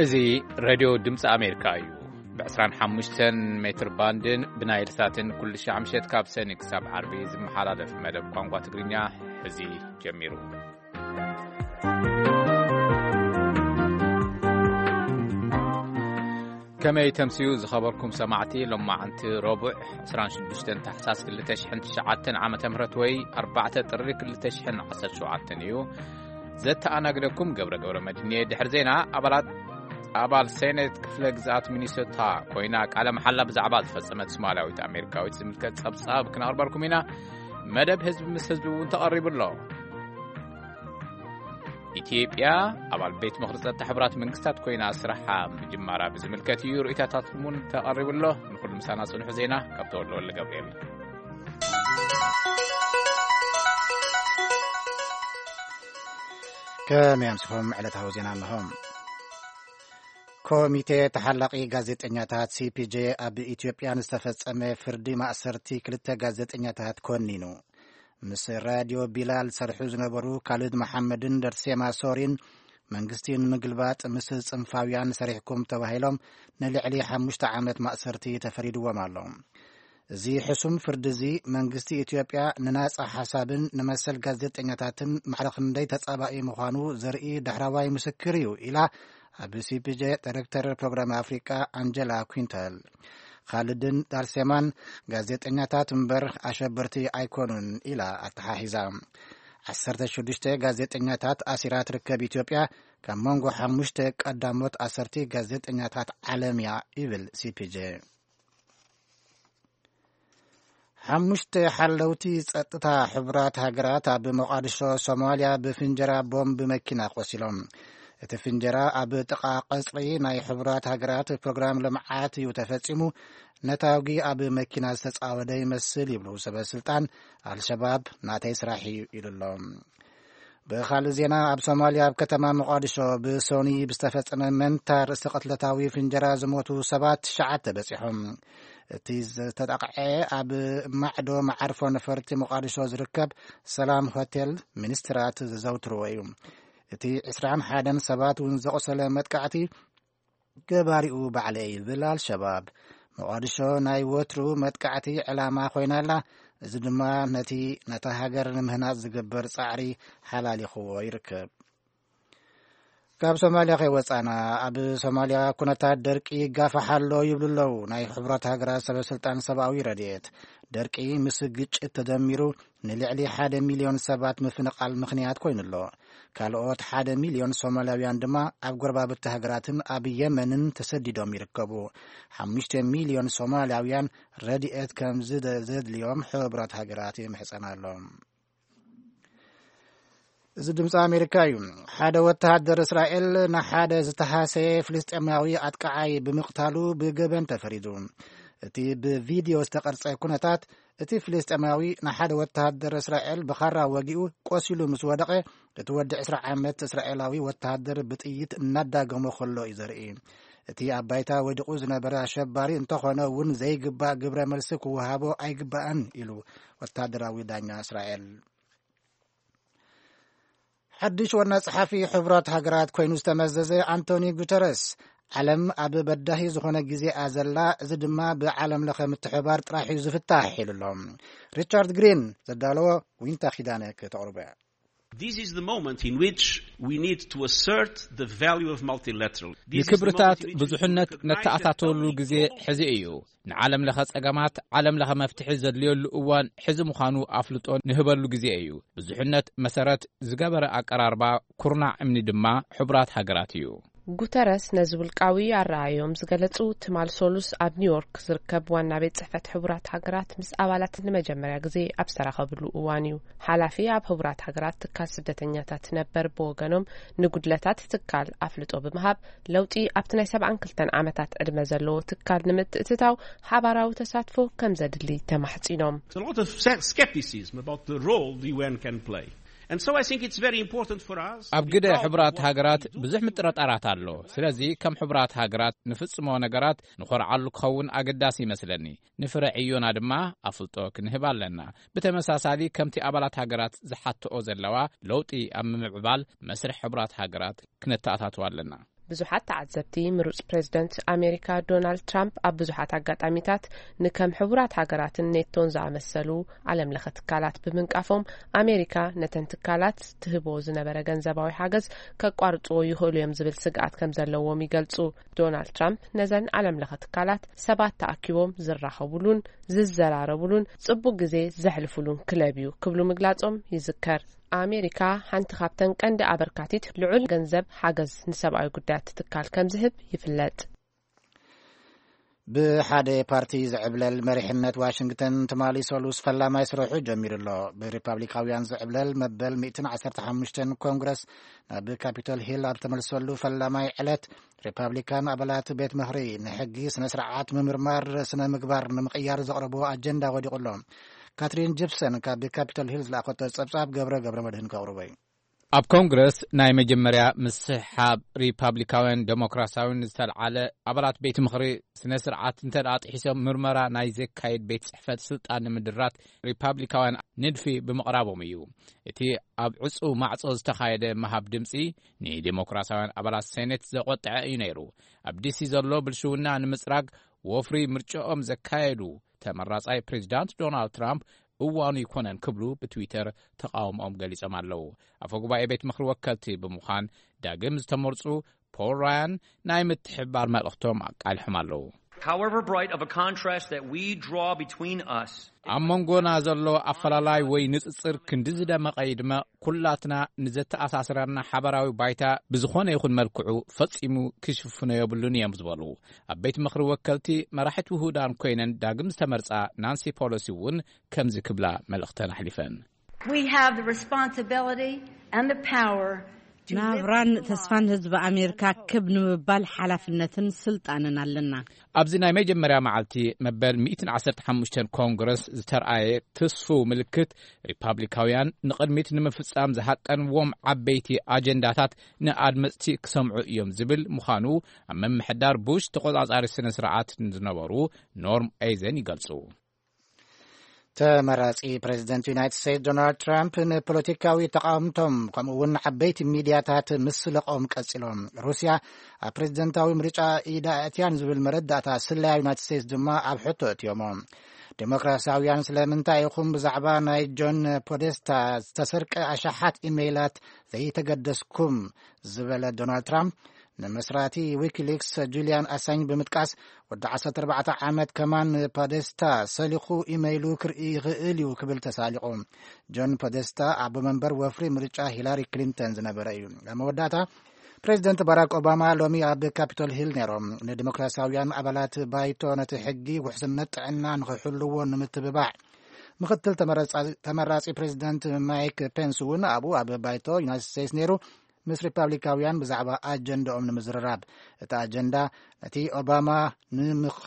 እዚ ሬድዮ ድምፂ ኣሜሪካ እዩ። ብ25 ሜትር ባንድን ብናይል ሳትን ኩሉ ሻዕ ምሸት ካብ ሰኒ ክሳብ ዓርቢ ዝመሓላለፍ መደብ ቋንቋ ትግርኛ ሕዚ ጀሚሩ። ከመይ ተምስዩ ዝኸበርኩም ሰማዕቲ፣ ሎማዓንቲ ረቡዕ 26 ታሕሳስ 2009 ዓመተ ምህረት ወይ 4 ጥሪ 2017 እዩ። ዘተኣናግደኩም ገብረ ገብረ መድህን እየ። ድሕሪ ዜና፣ ኣባላት ኣባል ሴኔት ክፍለ ግዝኣት ሚኒሶታ ኮይና ቃለ መሓላ ብዛዕባ ዝፈጸመት ሶማልያዊት ኣሜሪካዊት ዝምልከት ጸብጻብ ክነቕርበልኩም ኢና። መደብ ህዝቢ ምስ ህዝቢ እውን ተቐሪቡ ኣሎ። ኢትዮጵያ ኣባል ቤት ምኽሪ ጸጥታ ሕቡራት መንግስታት ኮይና ስራሓ ምጅማራ ብዝምልከት እዩ ርእይታታት እውን ተቐሪቡ ኣሎ። ንኹሉ ምሳና ጽንሑ። ዜና ካብ ተወልደ ወልደ ገብርኤል። ከመይ ኣምስኹም? ዕለታዊ ዜና እንሆ። ኮሚቴ ተሓላቒ ጋዜጠኛታት፣ ሲ ፒ ጄ፣ ኣብ ኢትዮጵያ ንዝተፈጸመ ፍርዲ ማእሰርቲ ክልተ ጋዜጠኛታት ኮኒኑ። ምስ ራድዮ ቢላል ዝሰርሑ ዝነበሩ ካልድ መሓመድን ደርሴማ ሶሪን፣ መንግስቲ ንምግልባጥ ምስ ጽንፋውያን ሰሪሕኩም ተባሂሎም ንልዕሊ ሓሙሽተ ዓመት ማእሰርቲ ተፈሪድዎም ኣሎ። እዚ ሕሱም ፍርዲ እዚ መንግስቲ ኢትዮጵያ ንናጻ ሓሳብን ንመሰል ጋዜጠኛታትን ማዕረ ክንደይ ተጻባኢ ምዃኑ ዘርኢ ዳሕራዋይ ምስክር እዩ ኢላ ኣብ ሲ ፒ ጄ ዳይሬክተር ፕሮግራም ኣፍሪቃ ኣንጀላ ኩንተል። ካልድን ዳርሴማን ጋዜጠኛታት እምበር ኣሸበርቲ ኣይኮኑን ኢላ ኣተሓሒዛ። 16 ጋዜጠኛታት ኣሲራ ትርከብ ኢትዮጵያ ካብ መንጎ ሓሙሽተ ቀዳሞት ኣሰርቲ ጋዜጠኛታት ዓለም እያ ይብል ሲ ፒ ጄ። ሓሙሽተ ሓለውቲ ጸጥታ ሕቡራት ሃገራት ኣብ ሞቓዲሾ ሶማልያ ብፍንጀራ ቦምብ መኪና ቆሲሎም። እቲ ፍንጀራ ኣብ ጥቓ ቀጽሪ ናይ ሕቡራት ሃገራት ፕሮግራም ልምዓት እዩ ተፈጺሙ። ነታውጊ ኣብ መኪና ዝተጻወደ ይመስል ይብሉ ሰበ ስልጣን። ኣልሸባብ ናተይ ስራሕ እዩ ኢሉ ኣሎ። ብኻልእ ዜና፣ ኣብ ሶማልያ ኣብ ከተማ ሞቓዲሾ ብሶኒ ብዝተፈጸመ መንታ ርእሲ ቅትለታዊ ፍንጀራ ዝሞቱ ሰባት ትሽዓተ በጺሖም። እቲ ዝተጠቕዐ ኣብ ማዕዶ መዓርፎ ነፈርቲ ሞቓዲሾ ዝርከብ ሰላም ሆቴል ሚኒስትራት ዘዘውትርዎ እዩ። እቲ ዕስራን ሓደን ሰባት እውን ዘቑሰለ መጥቃዕቲ ገባሪኡ ባዕለይ ይብል ኣልሸባብ። ሞቓዲሾ ናይ ወትሩ መጥቃዕቲ ዕላማ ኮይና ኣላ። እዚ ድማ ነቲ ነታ ሃገር ንምህናጽ ዝግበር ጻዕሪ ሓላሊኽዎ ይርከብ። ካብ ሶማልያ ከይወጻና፣ ኣብ ሶማልያ ኩነታት ደርቂ ይጋፋሕ ኣሎ ይብሉ ኣለዉ ናይ ሕቡራት ሃገራት ሰበ ስልጣን ሰብኣዊ ረድኤት። ደርቂ ምስ ግጭት ተደሚሩ ንልዕሊ ሓደ ሚልዮን ሰባት ምፍንቓል ምኽንያት ኮይኑ ኣሎ። ካልኦት ሓደ ሚልዮን ሶማልያውያን ድማ ኣብ ጎረባብቲ ሃገራትን ኣብ የመንን ተሰዲዶም ይርከቡ። ሓሙሽተ ሚልዮን ሶማልያውያን ረድኤት ከም ዝደ-፣ ዘድልዮም ሕቡራት ሃገራት ይምሕጸን ኣሎ። እዚ ድምፂ ኣሜሪካ እዩ። ሓደ ወተሃደር እስራኤል ንሓደ ዝተሃሰየ ፍልስጤማዊ ኣጥቃዓይ ብምቕታሉ ብገበን ተፈሪዱ። እቲ ብቪድዮ ዝተቐርጸ ኩነታት፣ እቲ ፍልስጤማዊ ንሓደ ወተሃደር እስራኤል ብኻራ ወጊኡ ቆሲሉ ምስ ወደቐ፣ እቲ ወዲ ዕስራ ዓመት እስራኤላዊ ወተሃደር ብጥይት እናዳገሞ ከሎ እዩ ዘርኢ። እቲ ኣብ ባይታ ወዲቑ ዝነበረ ኣሸባሪ እንተኾነ እውን ዘይግባእ ግብረ መልሲ ክወሃቦ ኣይግባእን ኢሉ ወተሃደራዊ ዳኛ እስራኤል። ሓድሽ ዋና ጸሓፊ ሕቡራት ሃገራት ኮይኑ ዝተመዘዘ ኣንቶኒ ጉተረስ፣ ዓለም ኣብ በዳሂ ዝኾነ ግዜ እያ ዘላ፣ እዚ ድማ ብዓለም ለኸ ምትሕባር ጥራሕ እዩ ዝፍታሕ ኢሉ ኣሎ። ሪቻርድ ግሪን ዘዳለዎ ዊንታ ኪዳነ ከተቕርቦ እያ። This is the moment in which we need to assert the value of multilateral. This is the ንክብርታት moment in which we ብዙሕነት recognize that ነተኣታተወሉ only ግዜ ሕዚ እዩ። ንዓለም ለኸ ጸገማት ዓለም ለኸ መፍትሒ ዘድልየሉ እዋን ሕዚ ምዃኑ ኣፍልጦ ንህበሉ ግዜ እዩ። ብዙሕነት መሰረት ዝገበረ ኣቀራርባ፣ ኩርናዕ እምኒ ድማ ሕቡራት ሃገራት እዩ። ጉተረስ ነዚ ውልቃዊ ኣረኣዮም ዝገለጹ ትማል ሶሉስ ኣብ ኒውዮርክ ዝርከብ ዋና ቤት ጽሕፈት ሕቡራት ሃገራት ምስ ኣባላት ንመጀመርያ ግዜ ኣብ ዝተራኸብሉ እዋን እዩ። ሓላፊ ኣብ ሕቡራት ሃገራት ትካል ስደተኛታት ነበር ብወገኖም፣ ንጉድለታት ትካል ኣፍልጦ ብምሃብ፣ ለውጢ ኣብቲ ናይ 72 ዓመታት ዕድመ ዘለዎ ትካል ንምትእትታው ሓባራዊ ተሳትፎ ከም ዘድሊ ተማሕጺኖም። There's a lot of se-, skepticism about the role the U N can play. And so I think it's very important for us to ኣብ be ግደ proud of ሕቡራት what ሃገራት we do. ብዙሕ ምጥርጣራት ኣሎ። ስለዚ ከም ሕቡራት ሃገራት ንፍጽሞ ነገራት ንኾርዓሉ ክኸውን ኣገዳሲ ይመስለኒ። ንፍረ ዕዮና ድማ ኣፍልጦ ክንህብ ኣለና። ብተመሳሳሊ ከምቲ ኣባላት ሃገራት ዝሓትኦ ዘለዋ ለውጢ ኣብ ምምዕባል መስርሕ ሕቡራት ሃገራት ክነተኣታትዋ ኣለና። ብዙሓት ተዓዘብቲ፣ ምሩጽ ፕሬዝደንት ኣሜሪካ ዶናልድ ትራምፕ ኣብ ብዙሓት ኣጋጣሚታት ንከም ሕቡራት ሃገራትን ኔቶን ዝኣመሰሉ ዓለም ለኸ ትካላት ብምንቃፎም፣ ኣሜሪካ ነተን ትካላት ትህቦ ዝነበረ ገንዘባዊ ሓገዝ ከቋርጽዎ ይኽእሉ እዮም ዝብል ስግኣት ከም ዘለዎም ይገልጹ። ዶናልድ ትራምፕ ነዘን ዓለም ለኸ ትካላት ሰባት ተኣኪቦም ዝራኸቡሉን ዝዘራረቡሉን ጽቡቅ ግዜ ዘሕልፉሉን ክለብ እዩ ክብሉ ምግላጾም ይዝከር። ኣሜሪካ ሓንቲ ካብተን ቀንዲ ኣበርካቲት ልዑል ገንዘብ ሓገዝ ንሰብኣዊ ጉዳያት ትካል ከም ዝህብ ይፍለጥ። ብሓደ ፓርቲ ዝዕብለል መሪሕነት ዋሽንግተን ትማሊ ሰሉስ ፈላማይ ስርሑ ጀሚሩ ኣሎ። ብሪፓብሊካውያን ዝዕብለል መበል ሚእትን ዓሰርተ ሓሙሽተን ኮንግረስ ናብ ካፒቶል ሂል ኣብ ተመልሰሉ ፈላማይ ዕለት፣ ሪፓብሊካን ኣባላት ቤት ምኽሪ ንሕጊ ስነ ስርዓት ምምርማር ስነ ምግባር ንምቕያር ዘቕረብዎ ኣጀንዳ ወዲቑ ኣሎ። ካትሪን ጂፕሰን ካብ ካፒቶል ሂል ዝለኣኸቶ ጸብጻብ ገብረ ገብረ መድህን ከቕርቦ እዩ። ኣብ ኮንግረስ ናይ መጀመርያ ምስሕሓብ ሪፓብሊካውያን ዴሞክራሲያውን ዝተልዓለ፣ ኣባላት ቤት ምኽሪ ስነ ስርዓት እንተ ደኣ ጥሒሶም ምርመራ ናይ ዘካየድ ቤት ጽሕፈት ስልጣን ንምድራት ሪፓብሊካውያን ንድፊ ብምቕራቦም እዩ። እቲ ኣብ ዕጹው ማዕጾ ዝተኻየደ ምሃብ ድምጺ ንዴሞክራሲያውያን ኣባላት ሴኔት ዘቖጥዐ እዩ ነይሩ። ኣብ ዲሲ ዘሎ ብልሽውና ንምጽራግ ወፍሪ ምርጫኦም ዘካየዱ ተመራጻይ ፕሬዚዳንት ዶናልድ ትራምፕ እዋኑ ይኮነን ክብሉ ብትዊተር ተቃውሞኦም ገሊጾም ኣለዉ። ኣፈ ጉባኤ ቤት ምኽሪ ወከልቲ ብምዃን ዳግም ዝተመርጹ ፖል ራያን ናይ ምትሕብባር መልእኽቶም ኣቃሊሖም ኣለዉ። However bright of a contrast that we draw between us ኣብ መንጎና ዘሎ ኣፈላላይ ወይ ንጽጽር ክንዲ ዝደመቐ ይድመቕ፣ ኩላትና ንዘተኣሳስረና ሓበራዊ ባይታ ብዝኾነ ይኹን መልክዑ ፈጺሙ ክሽፍኖ የብሉን እዮም ዝበሉ ኣብ ቤት ምኽሪ ወከልቲ መራሒት ውሁዳን ኮይነን ዳግም ዝተመርጻ ናንሲ ፖሎሲ እውን ከምዚ ክብላ መልእኽተን ኣሕሊፈን። We have the responsibility and the power to live ናብራን up to ተስፋን ህዝቢ ኣሜሪካ ክብ ንምባል ሓላፍነትን ስልጣንን ኣለና። ኣብዚ ናይ መጀመርያ መዓልቲ መበል ሚእትን ዓሰርተ ሓሙሽተን ኮንግረስ ዝተርኣየ ትስፉው ምልክት፣ ሪፓብሊካውያን ንቕድሚት ንምፍጻም ዝሃቀንዎም ዓበይቲ ኣጀንዳታት ንኣድመጽቲ ክሰምዑ እዮም ዝብል ምዃኑ ኣብ ምምሕዳር ቡሽ ተቖጻጻሪ ስነ ስርዓት ዝነበሩ ኖርም ኤይዘን ይገልጹ። ተመራጺ ፕሬዚደንት ዩናይትድ ስቴትስ ዶናልድ ትራምፕ ንፖለቲካዊ ተቓወምቶም ከምኡ እውን ዓበይቲ ሚድያታት ምስለቖም ቀጺሎም። ሩስያ ኣብ ፕሬዚደንታዊ ምርጫ ኢዳ ኣእትያን ዝብል መረዳእታ ስለያ ዩናይትድ ስቴትስ ድማ ኣብ ሕቶ እትዮሞ። ዴሞክራሲያውያን ስለምንታይ ኢኹም ብዛዕባ ናይ ጆን ፖደስታ ዝተሰርቀ ኣሽሓት ኢሜይላት ዘይተገደስኩም ዝበለ ዶናልድ ትራምፕ፣ ንመስራቲ ዊኪሊክስ ጁልያን ኣሳኝ ብምጥቃስ፣ ወዲ ዓሰርተ ኣርባዕተ ዓመት ከማን ፖደስታ ሰሊኹ ኢመይሉ ክርኢ ይኽእል እዩ ክብል ተሳሊቑ። ጆን ፖደስታ ኣቦ መንበር ወፍሪ ምርጫ ሂላሪ ክሊንተን ዝነበረ እዩ። ኣብ መወዳእታ፣ ፕሬዚደንት ባራክ ኦባማ ሎሚ ኣብ ካፒቶል ሂል ነይሮም። ንዲሞክራሲያውያን ኣባላት ባይቶ ነቲ ሕጊ ውሕስነት ጥዕና ንኽሕልዎ ንምትብባዕ፣ ምኽትል ተመረጻ-፣ ተመራጺ ፕሬዚደንት ማይክ ፔንስ እውን ኣብኡ ኣብ ባይቶ ዩናይትድ ስቴትስ ነይሩ። ምስ ሪፓብሊካውያን ብዛዕባ ኣጀንዳኦም ንምዝርራብ። እቲ ኣጀንዳ ነቲ ኦባማ ንምኽ-፣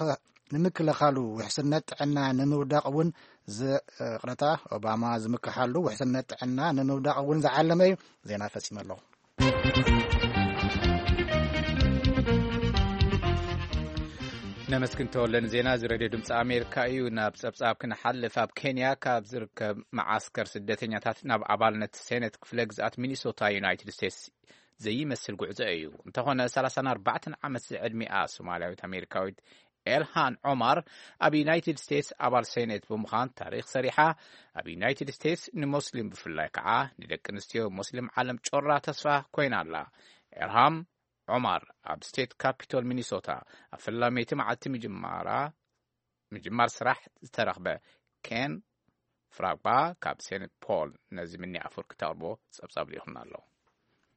ንምክልኻሉ ውሕስነት ጥዕና ንምውዳቕ እውን ዝ-፣ ይቕረታ፣ ኦባማ ዝምክሓሉ ውሕስነት ጥዕና ንምውዳቕ እውን ዝዓለመ እዩ። ዜና ፈጺመ ኣለኹ። ነመስግን ተወለ ንዜና እዚ ሬድዮ ድምፂ ኣሜሪካ እዩ። ናብ ጸብጻብ ክንሓልፍ፣ ኣብ ኬንያ ካብ ዝርከብ መዓስከር ስደተኛታት ናብ ኣባልነት ሴኔት ክፍለ ግዝኣት ሚኒሶታ ዩናይትድ ስቴትስ ዘይመስል ጉዕዞ እዩ። እንተኾነ፣ ሰላሳን ኣርባዕተን ዓመት ዝዕድሚኣ ሶማልያዊት ኣሜሪካዊት ኤልሃን ዖማር ኣብ ዩናይትድ ስቴትስ ኣባል ሴኔት ብምዃን ታሪኽ ሰሪሓ፣ ኣብ ዩናይትድ ስቴትስ ንሞስሊም ብፍላይ ከዓ ንደቂ ኣንስትዮ ሞስሊም ዓለም ጮራ ተስፋ ኮይና ኣላ። ኤልሃም ዖማር ኣብ ስቴት ካፒቶል ሚኒሶታ ኣብ ፈላመይቲ መዓልቲ ምጅማራ፣ ምጅማር ስራሕ ዝተረኽበ። ኬን ፍራግባ ካብ ሴንት ፖል ነዚ ምኒ ኣፈወርቂ ተቕርቦ ጸብጻብ ልኢኹልና ኣሎ።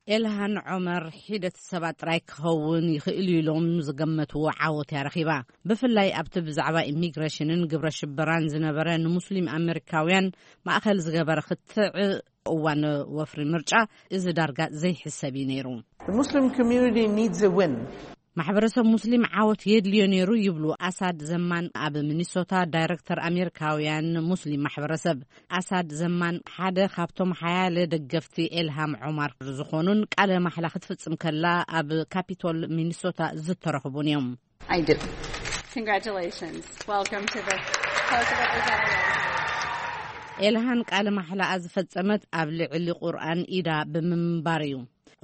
ኤልሃን ዖመር ሒደት ሰባት ጥራይ ክኸውን ይኽእል እዩ ኢሎም ዝገመትዎ ዓወት እያ ረኺባ። ብፍላይ ኣብቲ ብዛዕባ ኢሚግሬሽንን ግብረ ሽበራን ዝነበረ ንሙስሊም ኣመሪካውያን ማእኸል ዝገበረ ክትዕ እዋን ወፍሪ ምርጫ፣ እዚ ዳርጋ ዘይሕሰብ እዩ ነይሩ። The Muslim community needs a win. ማሕበረሰብ ሙስሊም ዓወት የድልዮ ነይሩ ይብሉ ኣሳድ ዘማን፣ ኣብ ሚኒሶታ ዳይሬክተር ኣሜሪካውያን ሙስሊም ማሕበረሰብ። ኣሳድ ዘማን ሓደ ካብቶም ሓያለ ደገፍቲ ኤልሃም ዖማር ዝኾኑን፣ ቃለ ማሕላ ክትፍጽም ከላ ኣብ ካፒቶል ሚኒሶታ ዝተረኽቡን እዮም። I do. Congratulations. Welcome to the House of Representatives. ኤልሃን ቃለ ማሕላኣ ዝፈጸመት ኣብ ልዕሊ ቁርኣን ኢዳ ብምንባር እዩ።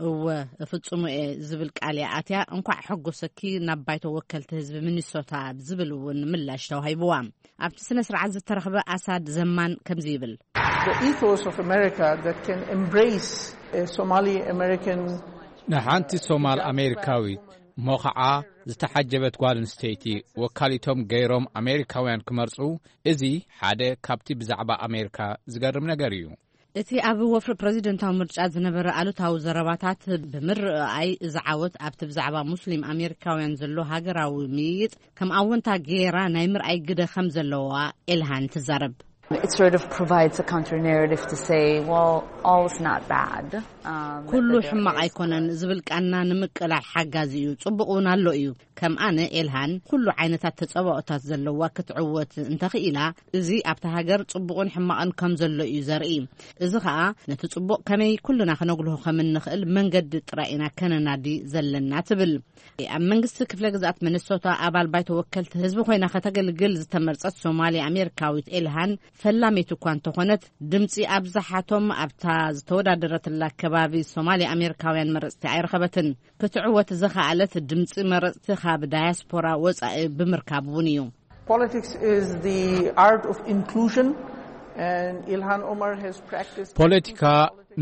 እወ፣ እፍጽሙ እየ ዝብል ቃል እያ ኣትያ። እንኳዕ ሐጎሰኪ ናብ ባይቶ ወከልቲ ህዝቢ ሚኒሶታ ዝብል እውን ምላሽ ተዋሂብዋ። ኣብቲ ስነ ስርዓት ዝተረኽበ ኣሳድ ዘማን ከምዚ ይብል። The ethos of America that can embrace a Somali American ንሓንቲ ሶማል ኣሜሪካዊት እሞ ኸዓ ዝተሓጀበት ጓል ኣንስተይቲ ወካሊቶም ገይሮም ኣሜሪካውያን ክመርጹ፣ እዚ ሓደ ካብቲ ብዛዕባ ኣሜሪካ ዝገርም ነገር እዩ። እቲ ኣብ ወፍሪ ፕረዚደንታዊ ምርጫ ዝነበረ ኣሉታዊ ዘረባታት ብምርኣይ፣ እዚ ዓወት ኣብቲ ብዛዕባ ሙስሊም ኣሜሪካውያን ዘሎ ሃገራዊ ምይይጥ ከም ኣወንታ ገይራ ናይ ምርኣይ ግደ ከም ዘለዋ ኤልሃን ትዛረብ። It sort of provides a counter narrative to say, well, all's not bad. Um, ኩሉ ሕማቕ ኣይኮነን ዝብል ቃና ንምቅላዕ ሓጋዚ እዩ። ጽቡቕ እውን ኣሎ እዩ። ከም ኣነ ኤልሃን ኩሉ ዓይነታት ተጸባኦታት ዘለዋ ክትዕወት እንተኽኢላ፣ እዚ ኣብታ ሃገር ጽቡቕን ሕማቕን ከም ዘሎ እዩ ዘርኢ። እዚ ኸኣ ነቲ ጽቡቕ ከመይ ኩልና ክነጉልሆ ከም እንኽእል መንገዲ ጥራይ ኢና ከነናዲ ዘለና ትብል። ኣብ መንግስቲ ክፍለ ግዝኣት ሚኒሶታ ኣባል ባይቶ ወከልቲ ህዝቢ ኮይና ከተገልግል ዝተመርጸት ሶማሊ ኣሜሪካዊት ኤልሃን ፈላሚት እኳ እንተኾነት፣ ድምጺ ኣብዝሓቶም ኣብታ ዝተወዳደረትላ ከባቢ ሶማሊ ኣሜሪካውያን መረጽቲ ኣይረኸበትን። ክትዕወት ዝኸኣለት ድምጺ መረጽቲ ካብ ዳያስፖራ ወጻኢ ብምርካብ እውን እዩ። Politics is the art of inclusion, and Ilhan Omar has practiced ፖለቲካ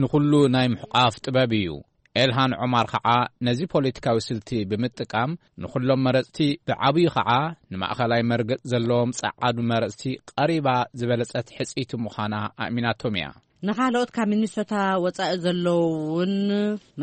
ንኹሉ ናይ ምሕቋፍ ጥበብ እዩ። ኤልሃን ዑማር ኸዓ ነዚ ፖለቲካዊ ስልቲ ብምጥቃም ንኹሎም መረጽቲ፣ ብዓብዩ ኸዓ ንማእኸላይ መርገጽ ዘለዎም ጸዓዱ መረጽቲ ቀሪባ ዝበለጸት ሕጽይቲ ምዃና ኣእሚናቶም እያ። ንኻልኦት ካብ ሚኒሶታ ወጻኢ ዘለዉ እውን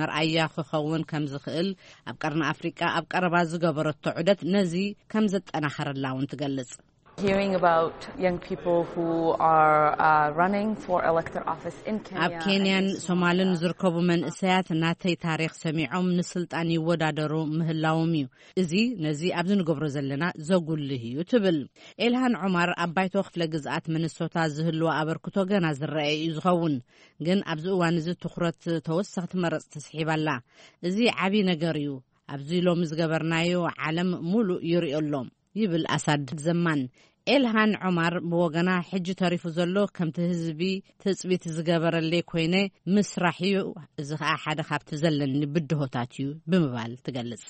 መርኣያ ክኸውን ከም ዝኽእል ኣብ ቀርኒ ኣፍሪቃ ኣብ ቀረባ ዝገበረቶ ዑደት ነዚ ከም ዘጠናኸረላ እውን ትገልጽ። Hearing about young people who are uh, running for elected office in Kenya ኣብ ኬንያን and in ሶማልን Somalia. ዝርከቡ መንእሰያት ናተይ ታሪኽ ሰሚዖም ንስልጣን ይወዳደሩ ምህላዎም እዩ። እዚ ነዚ ኣብዚ ንገብሮ ዘለና ዘጉልህ እዩ ትብል። ኤልሃን ዑማር ኣብ ባይቶ ክፍለ ግዝኣት ሚኒሶታ ዝህልዋ ኣበርክቶ ገና ዝረኣየ እዩ ዝኸውን። ግን ኣብዚ እዋን እዚ ትኹረት ተወሰኽቲ መረጽቲ ስሒባላ። እዚ ዓቢ ነገር እዩ። ኣብዚ ሎሚ ዝገበርናዮ ዓለም ሙሉእ ይርእዮ ኣሎ። ይብል ኣሳድ ዘማን። ኤልሃን ዑማር ብወገና፣ ሕጂ ተሪፉ ዘሎ ከምቲ ህዝቢ ትጽቢት ዝገበረለይ ኮይነ ምስራሕ እዩ። እዚ ኸኣ ሓደ ካብቲ ዘለኒ ብድሆታት እዩ ብምባል ትገልጽ።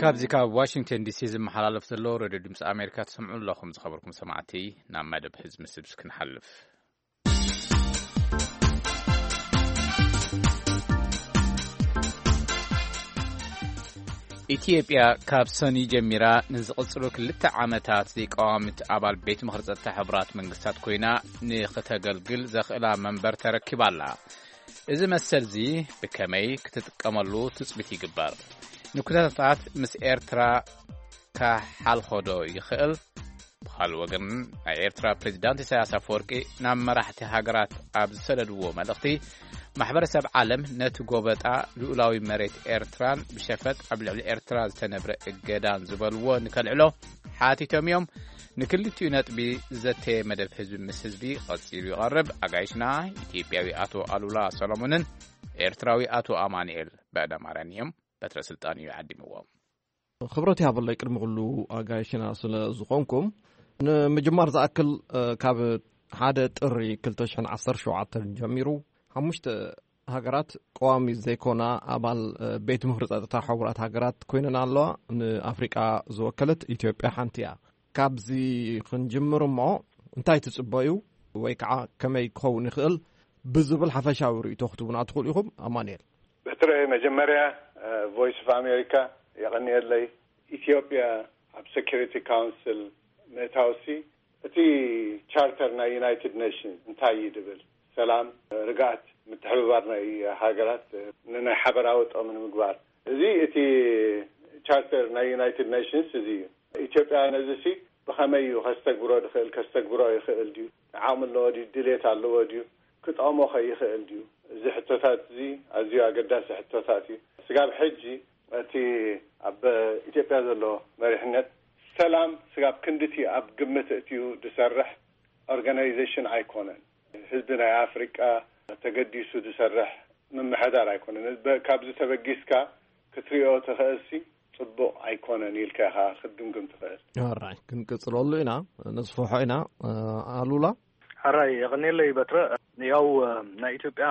ካብዚ ካብ ዋሽንግተን ዲሲ ዝመሓላለፍ ዘሎ ሬድዮ ድምፂ ኣሜሪካ ትሰምዑ ኣለኹም። ዝኸበርኩም ሰማዕቲ፣ ናብ መደብ ህዝቢ ምስብስ ክንሓልፍ። ኢትዮጵያ ካብ ሰኒ ጀሚራ ንዝቕጽሉ ክልተ ዓመታት ዘይቀዋምት ኣባል ቤት ምኽሪ ጸጥታ ሕቡራት መንግስታት ኮይና ንኽተገልግል ዘኽእላ መንበር ተረኪባ ኣላ። እዚ መሰልዚ ብከመይ ክትጥቀመሉ ትጽቢት ይግበር? ንኩነታት ምስ ኤርትራ ከሓልኾዶ ይኽእል? ብኻልእ ወገን፣ ናይ ኤርትራ ፕሬዚዳንት ኢሳያስ ኣፈወርቂ ናብ መራሕቲ ሃገራት ኣብ ዝሰደድዎ መልእኽቲ፣ ማሕበረሰብ ዓለም ነቲ ጎበጣ ልኡላዊ መሬት ኤርትራን ብሸፈጥ ኣብ ልዕሊ ኤርትራ ዝተነብረ እገዳን ዝበልዎ ንከልዕሎ ሓቲቶም እዮም። ንክልቲኡ ነጥቢ ዘተየ መደብ ህዝቢ ምስ ህዝቢ ቀጺሉ ይቐርብ። ኣጋይሽና ኢትዮጵያዊ ኣቶ ኣሉላ ሰሎሞንን ኤርትራዊ ኣቶ ኣማኑኤል በዕደማርያን እዮም። በትረ ስልጣን እዩ ዓዲምዎም። ክብረት ይሃበለይ ቅድሚ ኩሉ ኣጋይሽና ስለ ዝኾንኩም። ንምጅማር ዝኣክል፣ እ፣ ካብ ሓደ ጥሪ ክልተ ሽሕን ዓሰርተ ሸውዓተን ጀሚሩ ሓሙሽተ ሃገራት ቀዋሚ ዘይኮና ኣባል፣ እ፣ ቤት ምኽሪ ጸጥታ ሕቡራት ሃገራት ኮይነን ኣለዋ። ንኣፍሪቃ ዝወከለት ኢትዮጵያ ሓንቲ እያ። ካብዚ ክንጅምር እሞ እንታይ ትጽበዩ ወይ ከዓ ከመይ ክኸውን ይኽእል ብዝብል ሓፈሻዊ ርእይቶ ክትቡና ትኽእሉ ኢኹም? ኣማኑኤል። በትረ፣ መጀመርያ፣ እ፣ ቮይስ ኦፍ ኣሜሪካ የቐንየለይ። ኢትዮጵያ ኣብ ሴኩሪቲ ካውንስል ምእታውሲ፣ እቲ ቻርተር ናይ ዩናይትድ ኔሽንስ እንታይ እዩ ድብል? ሰላም፣ ርግኣት፣ ምትሕብባር ናይ ሃገራት ንናይ ሓበራዊ ጥቕሚ ንምግባር። እዚ እቲ ቻርተር ናይ ዩናይትድ ኔሽንስ እዚ እዩ። ኢትዮጵያ ነዚሲ ብኸመይ እዩ ከስተግብሮ ድኽእል? ከስተግብሮ ይኽእል ድዩ? ዓቕሚ ኣለዎ ድዩ? ድሌት ኣለዎ ድዩ? ክጠቕሞ ከ ይኽእል ድዩ? እዚ ሕቶታት እዚ ኣዝዩ ኣገዳሲ ሕቶታት እዩ። ስጋብ ሕጂ እቲ ኣብ ኢትዮጵያ ዘሎ መሪሕነት ሰላም ስጋብ ክንድቲ ኣብ ግምት እትዩ ዝሰርሕ ኦርጋናይዜሽን ኣይኮነን። ህዝቢ ናይ ኣፍሪቃ ተገዲሱ ዝሰርሕ ምምሕዳር ኣይኮነን። በ-፣ ካብዚ ተበጊስካ ክትሪኦ ትኽእልሲ ጽቡቕ ኣይኮነን ኢልካ ኢኻ ክትግምግም ትኽእል። ኣራይ፣ ክንቅጽለሉ ኢና፣ ነስፍሖ ኢና። ኣሉላ? ሕራይ፣ የቐንየለይ በትረ። ያው፣ እ፣ ናይ ኢትዮጵያ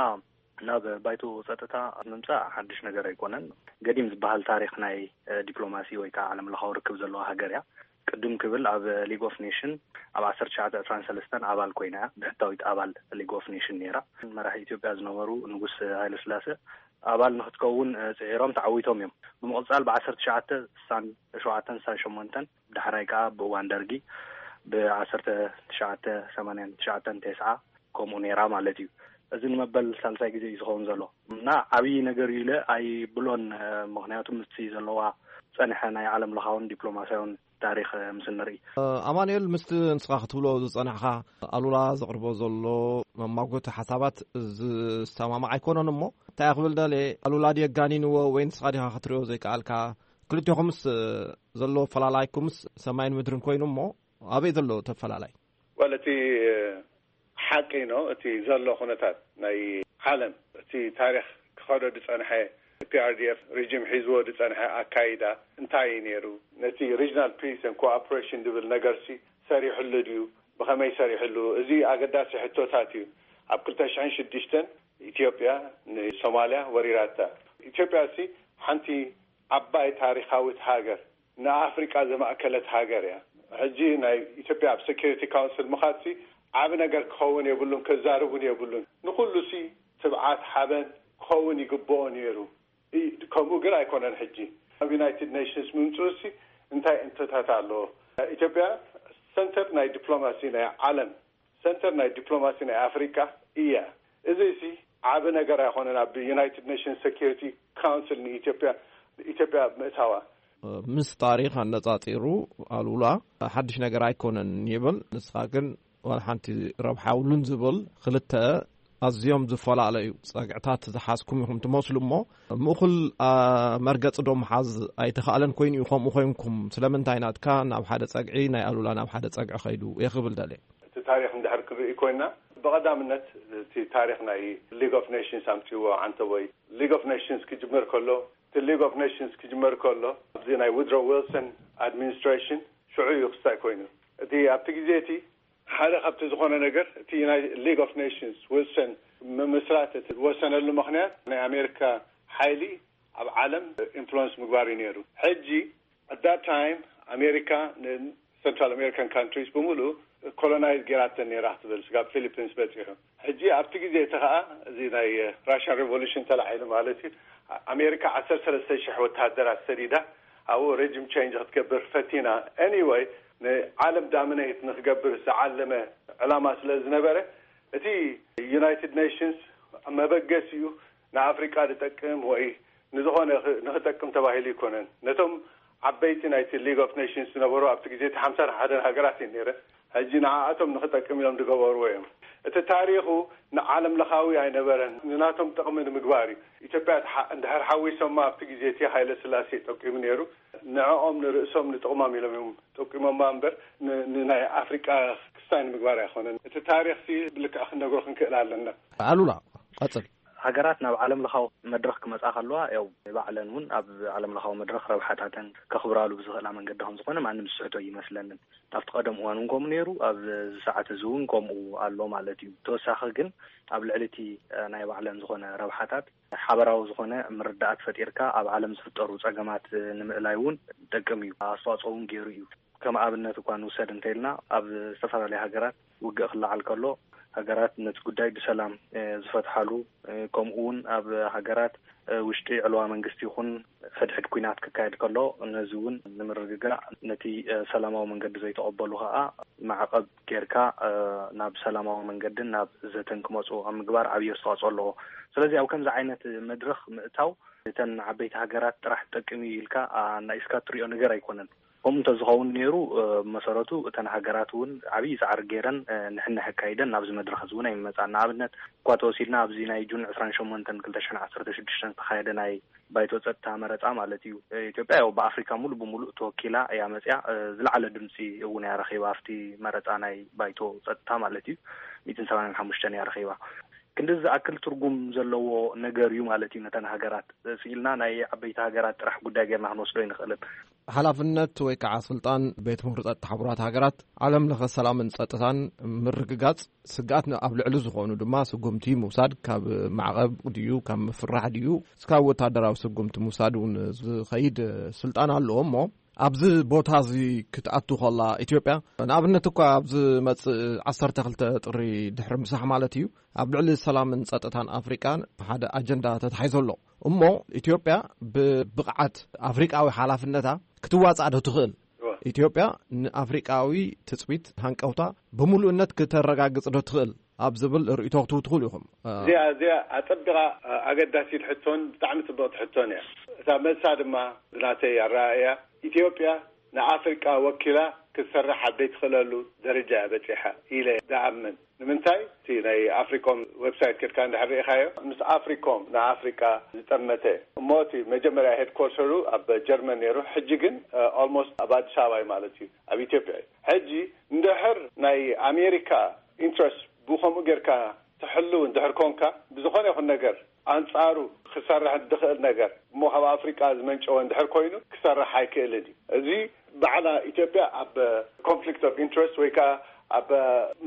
ናብ ባይቶ ጸጥታ ምምጻእ ሓድሽ ነገር ኣይኮነን። ገዲም ዝበሃል ታሪኽ ናይ፣ እ፣ ዲፕሎማሲ ወይ ከዓ ዓለም ለኻዊ ርክብ ዘለዋ ሃገር እያ። ቅድም ክብል ኣብ ሊግ ኦፍ ኔሽን ኣብ ዓሰርተ ትሽዓተ ዕስራን ሰለስተን ኣባል ኮይና እያ። ብሕታዊት ኣባል ሊግ ኦፍ ኔሽን ነይራ። መራሒ ኢትዮጵያ ዝነበሩ ንጉስ ሃይለ ስላሴ ኣባል ንክትከውን፣ እ፣ ጽዒሮም ተዓዊቶም እዮም። ብምቕጻል ብ ዓሰርተ ትሽዓተ ስሳን ሸውዓተን ስሳን ሸሞንተን፣ ብዳሕራይ ከኣ ብእዋን ደርጊ ብ ዓሰርተ ትሽዓተ ሰማንያን ትሽዓተን ተስዓ ከምኡ ነይራ ማለት እዩ። እዚ ንመበል ሳልሳይ ግዜ እዩ ዝኸውን ዘሎ እና ዓብዪ ነገር እዩ ኢለ ኣይብሎን። እ፣ ምኽንያቱ ምስቲ ዘለዋ ጸንሐ ናይ ዓለም ለኻውን ዲፕሎማስያውን ታሪኽ፣ እ፣ ምስ ንርኢ። ኣማኑኤል፣ ምስቲ ንስኻ ክትብሎ ዝጸናሕካ ኣሉላ ዘቕርቦ ዘሎ መማጎቲ ሓሳባት ዝሰማማዕ ኣይኮነን እሞ፣ እንታይ ክብል ደልየ፣ ኣሉላ ድየ ኣጋኒንዎ ወይ ንስኻ ዲኻ ክትሪኦ ዘይከኣልካ? ክልቴኹምስ፣ እ፣ ዘሎ ፈላላይኩምስ ሰማይን ምድርን ኮይኑ እሞ፣ ኣበይ ዘሎ ተፈላላይ? ወል፣ እቲ ሓቂ ነው። እቲ ዘሎ ኩነታት ናይ ዓለም፣ እቲ ታሪኽ ክኸዶ ዝጸንሐ፣ ፒ ኣር ዲ ኤፍ ሪጅም ሒዝዎ ዝጸንሐ ኣካይዳ እንታይ እዩ ነይሩ? ነቲ regional peace and cooperation ዝብል ነገርሲ ሰሪሕሉ ድዩ? ብኸመይ ሰሪሕሉ? እዚ ኣገዳሲ ሕቶታት እዩ። ኣብ ክልተ ሽሕን ሽዱሽተን ኢትዮጵያ ንሶማልያ ወሪራታ። ኢትዮጵያ ሲ ሓንቲ ዓባይ ታሪኻዊት ሃገር፣ ንኣፍሪቃ ዘማእከለት ሃገር እያ። ሕጂ ናይ ኢትዮጵያ ኣብ ሴኩሪቲ ካውንስል ምኻድሲ ዓቢ ነገር ክኸውን የብሉን፣ ክዛረቡን የብሉን። ንኹሉ ሲ ትብዓት ሓበን ክኸውን ይግብኦ ነይሩ። እ-፣ ከምኡ ግን ኣይኮነን። ሕጂ ኣብ ዩናይትድ ኔሽንስ ምምጽኡ ሲ እንታይ እንቶታት ኣለዎ? ኢትዮጵያ ሰንተር ናይ ዲፕሎማሲ ናይ ዓለም፣ ሰንተር ናይ ዲፕሎማሲ ናይ ኣፍሪቃ እያ። እዚ ሲ ዓቢ ነገር ኣይኮነን ኣብ ዩናይትድ ኔሽንስ ሴኩሪቲ ካውንስል ንኢትዮጵያ፣ ኢትዮጵያ ምእታዋ። ምስ ታሪኽ ኣነጻጺሩ ኣሉላ ሓድሽ ነገር ኣይኮነን ይብል። ንስኻ ግን ዋላ ሓንቲ ረብሓ የብሉን ዝብል ክልተ ኣዝዮም ዝፈላለዩ ጸግዕታት ዝሓዝኩም ኢኹም ትመስሉ እሞ፣ ምእኹል፣ ኣ፣ መርገጺ ዶ ምሓዝ ኣይተኻእለን ኮይኑ እዩ? ከምኡ ኮይንኩም ስለምንታይ ናትካ ናብ ሓደ ጸግዒ፣ ናይ ኣሉላ ናብ ሓደ ጸግዒ ከይዱ እየ ክብል ደልየ። እቲ ታሪኽ እንድሕር ክንርኢ ኮይንና፣ ብቐዳምነት እቲ ታሪኽ ናይ ሊግ ኦፍ ኔሽንስ ኣምጺዎ ዓንተቦይ። ሊግ ኦፍ ኔሽንስ ክጅመር ከሎ፣ እቲ ሊግ ኦፍ ኔሽንስ ክጅመር ከሎ፣ ኣብዚ ናይ ውድሮ ዊልሰን ኣድሚኒስትሬሽን ሽዑ እዩ ክስታይ ኮይኑ። እቲ ኣብቲ ግዜ እቲ ሓደ ካብቲ ዝኾነ ነገር፣ እቲ ናይ ሊግ ኦፍ ኔሽንስ ዊልሰን ምምስራት እቲ ዝወሰነሉ ምኽንያት ናይ ኣሜሪካ ሓይሊ ኣብ ዓለም ኢንፍሉወንስ ምግባር እዩ ነይሩ። ሕጂ፣ at that time፣ ኣሜሪካ ንሰንትራል ኣሜሪካን ካንትሪስ ብምሉእ ኮሎናይዝ ጌራተን ነይራ ክትብል፣ ስጋብ ፊሊፒንስ በጺሑ። ሕጂ ኣብቲ ግዜ እቲ ኸኣ፣ እዚ ናይ ራሽያን ሬቮሉሽን ተላዒሉ ማለት እዩ፣ ኣሜሪካ ዓሰርተ ሰለስተ ሽሕ ወተሃደራት ሰዲዳ ኣብኡ ሬጅም ቼንጅ ክትገብር ፈቲና። ኤኒወይ፣ ንዓለም ዳሚኔት ንክገብር ዝዓለመ ዕላማ ስለ ዝነበረ፣ እቲ ዩናይትድ ኔሽንስ መበገሲኡ ንኣፍሪቃ ዝጠቅም ወይ ንዝኾነ ኽ-፣ ንኽጠቅም ተባሂሉ ኣይኮነን። ነቶም ዓበይቲ ናይቲ ሊግ ኦፍ ኔሽንስ ዝነበሩ ኣብቲ ግዜ እቲ ሓምሳን ሓደን ሃገራት እየን ነይረን። ሕጂ ንዓኣቶም ንኽጠቅም ኢሎም ዝገበርዎ እዮም። እቲ ታሪኹ ንዓለም ለኻዊ ኣይነበረን፣ ንናቶም ጥቕሚ ንምግባር እዩ። ኢትዮጵያ ትሓ-፣ እንድሕር ሓዊሶማ ኣብቲ ግዜ እቲ ሃይለ ስላሴ ጠቂሙ ነይሩ። ንዕኦም ንርእሶም ንጥቕሞም ኢሎም እዮም ጠቂሞማ እምበር ን-፣ ንናይ ኣፍሪቃ ክስታይ ንምግባር ኣይኮነን። እቲ ታሪኽሲ ብልክዕ ክንነግሮ ክንክእል ኣለና። ኣሉላ፣ ቀጽል። ሃገራት ናብ ዓለም ለኻዊ መድረኽ ክመጻ ከለዋ፣ ያው ባዕለን እውን ኣብ ዓለም ለኻዊ መድረኽ ረብሓታተን ከኽብራሉ ብዝኽእላ መንገዲ ከም ዝኾነ ማንም ዝስሕቶ ይመስለንን። ኣብቲ ቀደም እዋን እውን ከምኡ ነይሩ፣ ኣብ እዚ ሰዓት እዚ እውን ከምኡ ኣሎ ማለት እዩ። ተወሳኺ ግን ኣብ ልዕሊ እቲ፣ እ፣ ናይ ባዕለን ዝኾነ ረብሓታት ሓበራዊ ዝኾነ ምርዳኣት ፈጢርካ ኣብ ዓለም ዝፍጠሩ ጸገማት፣ እ፣ ንምእላይ እውን ይጠቅም እዩ። ኣስተዋጽኦ እውን ገይሩ እዩ። ከም ኣብነት እኳ ንውሰድ እንተኢልና፣ ኣብ ዝተፈላለዩ ሃገራት ውግእ ክለዓል ከሎ፣ ሃገራት ነቲ ጉዳይ ብሰላም፣ እ፣ ዝፈትሓሉ፣ እ፣ ከምኡ እውን ኣብ ሃገራት፣ እ፣ ውሽጢ ዕልዋ መንግስቲ ይኹን ሕድሕድ ኲናት ክካየድ ከሎ፣ ነዚ እውን ንምርግጋእ ነቲ፣ እ፣ ሰላማዊ መንገዲ ዘይተቐበሉ ከኣ ማዕቐብ ጌርካ፣ እ፣ ናብ ሰላማዊ መንገድን ናብ ዘተን ክመጹ ኣብ ምግባር ዓብዪ ኣስተዋጽኦ ኣለዎ። ስለዚ ኣብ ከምዚ ዓይነት መድረኽ ምእታው እተን ዓበይቲ ሃገራት ጥራሕ ትጠቅም እዩ ኢልካ ኣናኢስካ እትሪኦ ነገር ኣይኮነን። ከምኡ እንተዝኸውን ነይሩ፣ እ፣ ብመሰረቱ እተን ሃገራት እውን ዓብዪ ጻዕሪ ገይረን፣ እ፣ ንሕንሕ ኣካይደን ናብዚ መድረኽ እዚ እውን ኣይምመጻን። ንኣብነት እኳ ተወሲድና ኣብዚ ናይ ጁን ዕስራን ሸሞንተን ክልተ ሽሕን ዓሰርተ ሽዱሽተን ዝተኻየደ ናይ ባይቶ ጸጥታ መረጻ ማለት እዩ። እ፣ ኢትዮጵያ ያው ብኣፍሪካ ሙሉእ ብሙሉእ ተወኪላ እያ መጽያ። እ፣ ዝለዓለ ድምጺ እውን እያ ረኺባ ኣብቲ መረጻ ናይ ባይቶ ጸጥታ ማለት እዩ። ሚእትን ሰማንያን ሓሙሽተን እያ ረኺባ። ክንዲ ዝኣክል ትርጉም ዘለዎ ነገር እዩ ማለት እዩ። ነተን ሃገራት ስኢልና ናይ ዓበይቲ ሃገራት ጥራሕ ጉዳይ ጌርና ክንወስዶ ይንኽእልን። ሓላፍነት ወይ ከዓ ስልጣን ቤት ምኽሪ ጸጥታ ሕቡራት ሃገራት ዓለም ለኸ ሰላምን ጸጥታን ምርግጋጽ ስግኣት ኣብ ልዕሊ ዝኾኑ ድማ ስጉምቲ ምውሳድ፣ ካብ ማዕቐብ ድዩ ካብ ምፍራሕ ድዩ እስካብ ወታደራዊ ስጉምቲ ምውሳድ እውን ዝኸይድ ስልጣን ኣለዎ። እሞ ኣብዚ ቦታ እዚ ክትኣቱ ከላ ኢትዮጵያ ንኣብነት እኳ ኣብዚ መጽእ ዓሰርተ ክልተ ጥሪ ድሕሪ ምሳሕ ማለት እዩ ኣብ ልዕሊ ሰላምን ጸጥታን ኣፍሪቃን ሓደ ኣጀንዳ ተታሒዞ ኣሎ። እሞ ኢትዮጵያ ብብቕዓት ኣፍሪቃዊ ሓላፍነታ ክትዋጻእ ዶ ትኽእል? ኢትዮጵያ ንኣፍሪቃዊ ትጽቢት ሃንቀውታ ብምሉእነት ክተረጋግጽ ዶ ትኽእል ኣብ ዝብል ርእይቶ ክትህቡ ትኽእሉ ኢኹም። እዚኣ እዚኣ ኣጸቢቓ ኣገዳሲት ሕቶን ብጣዕሚ ጽብቕቲ ሕቶን እያ። እታ መልሳ ድማ ብናተይ ኣረኣእያ ኢትዮጵያ ንኣፍሪቃ ወኪላ ክትሰርሕ ኣብ ዘይትኽእለሉ ደረጃ እያ በጺሓ ኢለ ዝኣምን። ንምንታይ እቲ ናይ ኣፍሪኮም ዌብሳይት ከድካ እንድሕር ርኢኻዮ፣ ምስ ኣፍሪኮም ንኣፍሪቃ ዝጠመተ እሞ እቲ መጀመርያ ሄድኮርተሩ ኣብ ጀርመን ነይሩ፣ ሕጂ ግን ኦልሞስት ኣብ ኣዲስ ኣበባ እዩ ማለት እዩ፣ ኣብ ኢትዮጵያ እዩ። ሕጂ እንድሕር ናይ ኣሜሪካ ኢንትረስት ብኸምኡ ጌርካ ትሕልው እንድሕር ኮንካ ብዝኾነ ይኹን ነገር ኣንጻሩ ክሰርሕ ዝኽእል ነገር እሞ ካብ ኣፍሪቃ ዝመንጨወ እንድሕር ኮይኑ ክሰርሕ ኣይክእልን እዩ። እዚ ባዕላ ኢትዮጵያ ኣብ ኮንፍሊክት ኦፍ ኢንትረስት ወይ ከዓ ኣብ